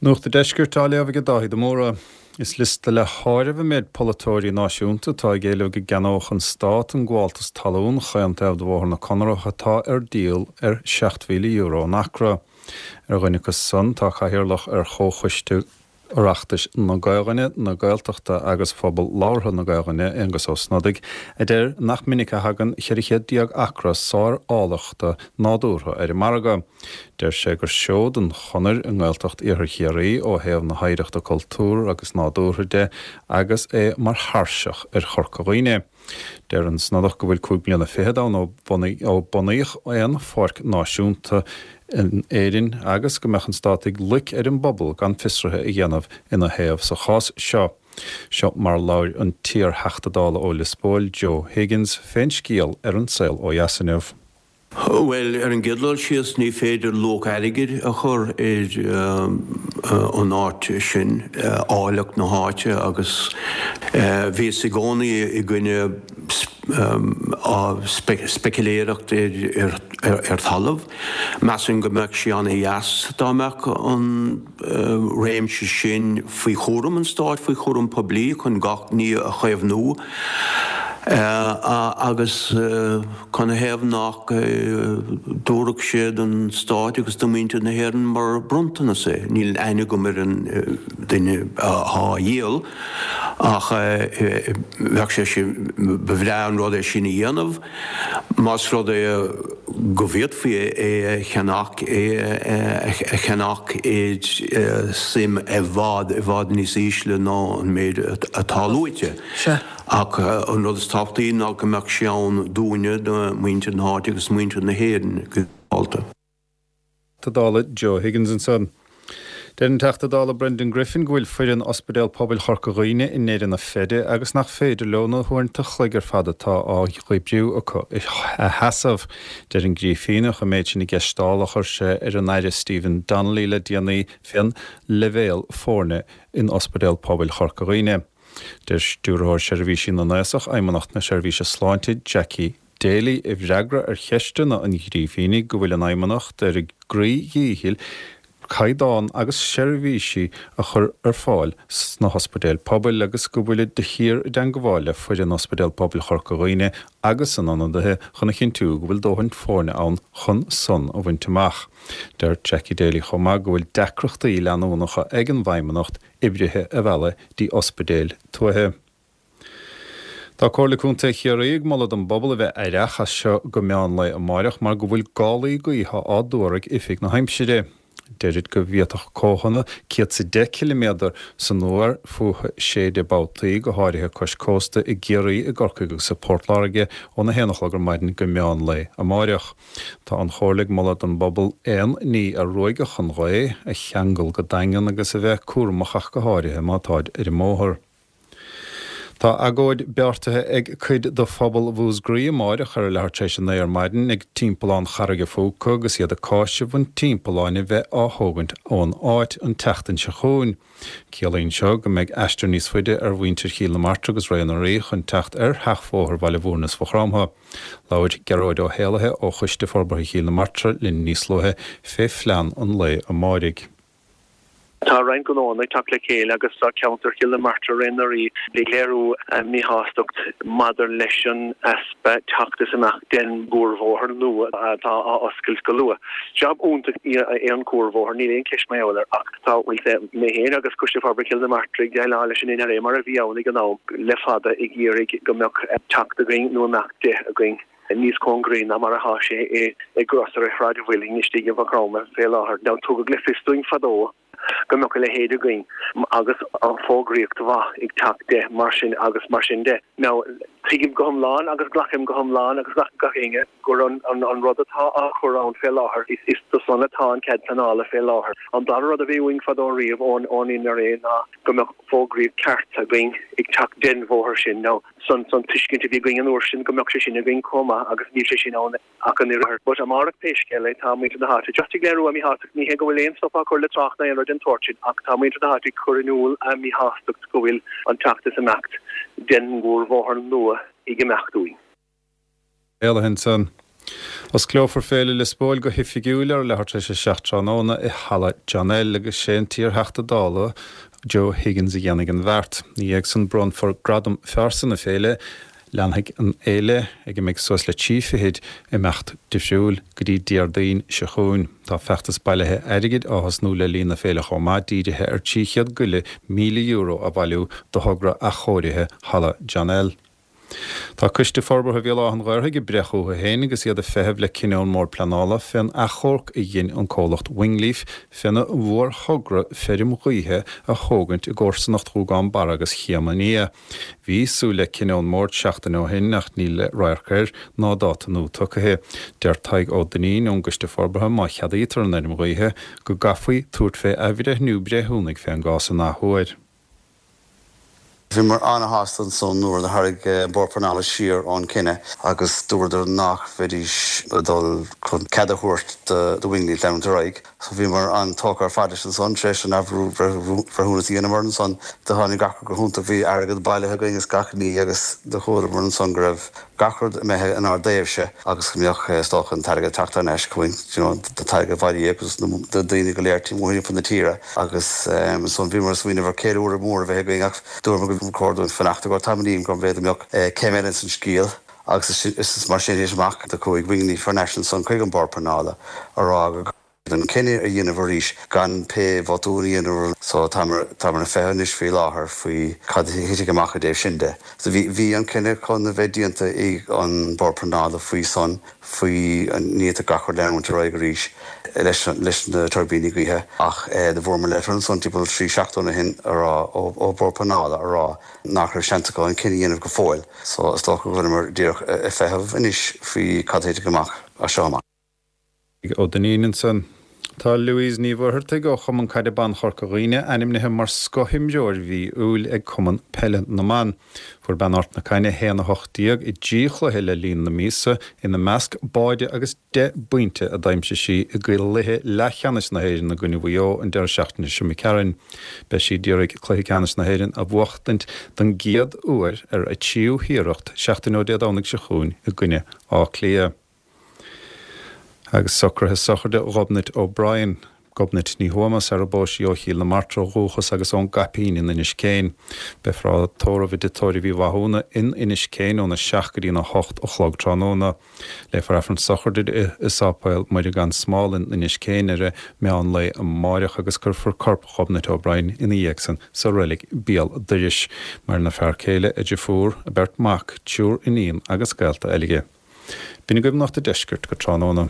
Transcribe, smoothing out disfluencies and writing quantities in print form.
Nuacht an Deiscirt á léamh ag Dáithí de Mórdha. Is liosta le háireamh an méid polaiteoirí náisiúnta atá ag éileamh go gceannódh an Stát an gabháltas talún chaon taobh de Bhóthar na Conrach atá ar díol ar €7,000 an acra. Ar dhuine acu san tá Cathaoirleach ar Chomhchoiste Oireachtais na Gaelainne, na Gaeltachta agus Phobal Labhartha na Gaelainne, Aengus Ó Snodaigh, a deir nach minic a thagann 1400 acra sár-áilleachta nádúrtha ar an margadh. Deir sé gur seoid an chonair i nGaeltacht Iarthar Chiarraí ó thaobh na hoidhreachta cultúrtha agus nádúrtha de agus é mar thairseach ar Chorca Dhuibhne. Deir an Snodach go bhfuil 5 bliana fichead ann ó bunaíodh aon pháirc náisiúnta in Éirinn agus go mbeadh an Stát ag loic ar an bpobal gan fiosruithe a dhéanamh ina thaobh sa chás seo. Seo mar a labhair an t-iar-Theachta Dála ó Lios Póil, Joe Higgins, fén scéal ar An Saol Ó Dheas inniu. Bhuel, ar an gcéad dul síos, ní féidir luach airgid a chur ar an áit sin, áilleacht na háite, agus bhíos i gcónaí i gcoinne speiciléireacht ar thalamh. Measaim go mbeadh sé ana-dheas dá mbeadh an réimse sin faoi chúram an stáit, faoi chúram poiblí chun gach ní a chaomhnú agus. Canathaobh nach dtabharfadh sé don Stát agus do mhuintir na hÉireann mar bronntanas é? Níl aithne agam ar an duine atá á dhíol ach bheadh sé sin, ba bhreá an rud é sin a dhéanamh más rud é go bhféadfaí é a cheannach, é a cheannach i suim i bhfad, i bhfad níos ísle ná an méid atá luaite. Ach an rud is tábhachtaí ná go mbeadh sé ann dúinne, do mhuintir na háite agus muintir na hÉireann go ginearálta. Teachta Dála Joe Higgins ansan. Deir an Teachta Dála Brendan Griffin go bhfuil foireann Ospidéal Pobail Chorca Dhuibhne i ndeireadh na feide agus nach féidir leo na huaireanta an chloig ar fad atá á n-oibriú acu a sheasamh. Deir an Grífíneach an méid sin i gceist Dála a chuir sé ar an Aire Stephen Donnelly le déanaí fén leibhéal foirne in Ospidéal Pobail Chorca Dhuibhne. Deir Stiúrthóir Seirbhísí na nAosach, Fheidhmeannacht na Seirbhíse Sláinte, Jackie Daly, i bhfreagra ar cheisteanna an Ghrífínigh go bhfuil an Fheidhmeannacht ar a gcroí-dhícheall caighdeán agus seirbhísí a chur ar fáil sna hospidéil pobail agus go bhfuilid de shíor i dteangabháil le foireann Ospidéal Pobail Chorca Dhuibhne agus a n-ionadaithe chun a chinntiú go bhfuil dóthain foirne ann chun san a bhaint amach. Deir Jackie Daly chomh maith go bhfuil deacrachtaí leanúnacha ag an bhFeidhmeannacht oibrithe a mhealladh dtí ospidéil tuaithe. Tá Comhairle Contae Chiarraí ag moladh don bpobal a bheith aireach as seo go meán lae amáireach mar go bhfuil gálaí gaoithe á dtuar ag Oifig na hAimsire. Deirid go bhféadfadh cóthanna 110 ciliméadar san uair fúthu séideadh babhtaí, go háirithe cois cósta i gCiarraí, i gCorcaigh agus i bPort Láirge óna haon a chlog ar maidin go meán lae amáireach. Tá an Chomhairle ag moladh don bpobal aon ní a ruaigfeadh an ghaoth a cheangal go daingean agus a bheith cúramach ach go háirithe má táid ar an mbóthar. Tá agóid beartaithe ag cuid de phobal Mhúscraí amáireach ar a leathuair tar éis a 9 ar maidin ag Timpeallán Charraige Phúca agus iad ag cáiseamh an timpealláin a bheith á thógaint ón áit an tseachtain seo chugainn. Ciallaíonn seo go mbeidh aistear níos faide ar mhuintir Chill na Martra agus Rae na Rí chun teacht ar sheachbhóthar Bhaile Bhúirne is Mhaigh Chromtha. Labhair Gearóid Ó hÉallaithe ó Choiste Forbartha Chill na Martra linn níos luaithe fé phlean an lae amáirigh. Tá roinnt gnóanna ag teacht le chéile agus tá ceantar Chill na Martra Rae na Rí ag léiriú a míshástacht maidir leis an easpa teacht is imeacht den gcuarbhóthar nua atá á oscailt go luath. Jab iontach é an cuarbhóthar, níl aon cheist mar gheall air ach tá, bhuel, mé féin agus Coiste Forbartha Chill na Martra ag déileáil leis an NRA mar a bhí ann ag an am le fada ag iarraidh go mbeadh teacht againn nó imeacht de againn níos cóngaraí ná mar atá sé i gcrosaire Shráid an Mhuilinn istigh i Maigh Chromtha fé láthair. Now tugadh le fios dúinn fadó go mbeadh a leithéid againn agus fógraíocht mhaith ag teacht de mar sin agus mar sin de. Now tuigim go hiomlán agus glacaim go hiomlán agus glacann gach éinne gur an an rud atá á chur ann fé láthair is do san atá an cead pleanála fé láthair. An dara rud a bhí uainn fadó riamh ón ón NRA ná go mbeadh fógraíocht ceart againn ag teacht den bhóthar sin. Now san san tuiscint a bhí againn an uair sin go mbeadh sé sin againn chomh maith agus níl sé sin ann ach an oiread. But amárach pé scéal é tá muintir na háite just ag léiriú a míshástacht, ní hé go bhfuil aon stop á chur le trácht ná aon rud den tsórt sin ach tá muintir na háite ag cur in iúl a míshástacht go bhfuil an teacht is imeacht den mhórbhóthar nua ag imeacht uainn. Éalaithe ansan. Osclófar Féile Liospóil go hoifigiúil ar leathuair tar éis a 7 tráthnóna i Halla John L agus sé an t-iarTheachta Dála Joe Higgins a dhéanfaidh an bheart. Ina dhiaidh san bronnfar Gradam Phearsa na Féile. Leanfaidh an fhéile, ag a mbeidh suas le trí fichid imeacht difriúil, go dtí Déardaoin seo chugainn. Tá feachtas bailithe airgid á thosnú le linn na féile chomh maith, dírithe ar 300 go leith €1,000 a bhailiú do thogra athchóirithe Halla John L. Tá Coiste Forbartha Bhéal Átha an Ghaorthaidh ag breith chucu féin agus iad ag feitheamh le cinneadh ón mBord Pleanála fén achomharc a dhein an comhlacht Wingleaf féna mhórthogra feirm ghaoithe a thógaint i gcomharsanacht Ghúgán Barra agus Chéim an Fhia. Bhí súil le cinneadh ón mBord seachtain ó shin ach níl radharc air ná dáta nua tugtha. Deir Tadhg Ó Duinnín ón gCoiste Forbartha má cheadaítear an fheirm ghaoithe go gcaithfí tabhairt fé athbhreithniú breithiúnaigh fén gcás an athuair. Bhíomar ana-shásta ansan nuair a tharraing an Bord Pleanála siar ón cinneadh agus dúradar nach mbeidís ag dul chun cead a thabhairt do Wingleaf leanúint ar aghaidh. So bhíomar an-tógtha ar fad leis ansan tar éis an athbhreithiúnas a dheineamar ansan. Do tháinig gach rud go hiontach, bhí airgead bailithe againn is gach ní agus do chualamar ansan go raibh gach rud imithe inár dtaobhse agus go mbeadh is dócha an t-airgead ag teacht thar n-ais chugainn, you know, an t-airgead a bailíodh agus na daoine go léir timpeall na tíre agus ansan bhíomar ag smaoineamh ar ceiliúradh mór a bheith againn ach dúramar gur chóir dúinn fanacht i gcomhair tamaillín go mb'fhéidir go mbeadh céim eile ins an scéal agus is mar sin a thit amach do chuaigh Wingleaf thar n-ais ansan chuig an Bord Pleanála a rá go an cinneadh a dhéanamh arís gan pé botún a dhéanamh so táimid ag feitheamh anois faoi láthair faoi cad a thitfidh amach i dtaobh sin de. So bhí bhí an cinneadh chun a bheith déanta ag an Bord Pleanála faoi san faoi an bhféadfadh gach rud leanúint ar aghaidh arís leis leis na tuirbíní gaoithe ach do fuaireamar leitir ansan timpeall 3 seachtaine ó shin a rá ó ó Bord Pleanála a rá nach raibh seans acu an cinneadh a dhéanamh go fóill. So is dócha go bhfuileamar díreach ag feitheamh anois faoi cad a thitfidh amach as seo amach. Ó Duinnín ansan. Tá Louise Ní Mhuircheartaigh ó Chumann Caide Ban Chorca Dhuibhne ainmnithe mar scothimreoir mhí Iúil ag Cumann Peile na mBan. Fuair bean Ard na Caithne 1-18 i dtrí chluiche le linn na míosa, ina measc báide agus 10 bpointe a d'aimsigh sí i gcluiche leathcheannais na hÉireann i gcoinne Mhaigh Eo an deireadh seachtaine seo imigh tharainn. Beidh sí d'iarraidh cluiche ceannais na hÉireann a bhuachtaint don gcéad uair ar a tríú hiarracht seachtain ó Dé Domhnaigh seo chugainn i gcoinne Átha Cliath. Agus socruithe sochraide Ghobnait O'Brien, Gobnait Ní Thuama, sar a bpós sí ó Chill na Martra ó dhúchas agus ón gCaipín in Inis Céin. Beifear á tórramh i dTigh Tórraimh Uí Mhathúna in Inis Céin óna 7 go dtína 8 a chlog tráthnóna. Léifear Aifreann sochraide di i Sáipéal Muire Gan Smál in Inis Céin ar a meán lae amáireach agus cuirfear corp Ghobnait O'Brien ina dhiaidh san sa reilig béal dorais. Maireann a fear céile, a deirfiúr, a beirt mac, triúr iníon agus gaolta eile. B'in agaibh Nuacht an Deiscirt go tráthnóna.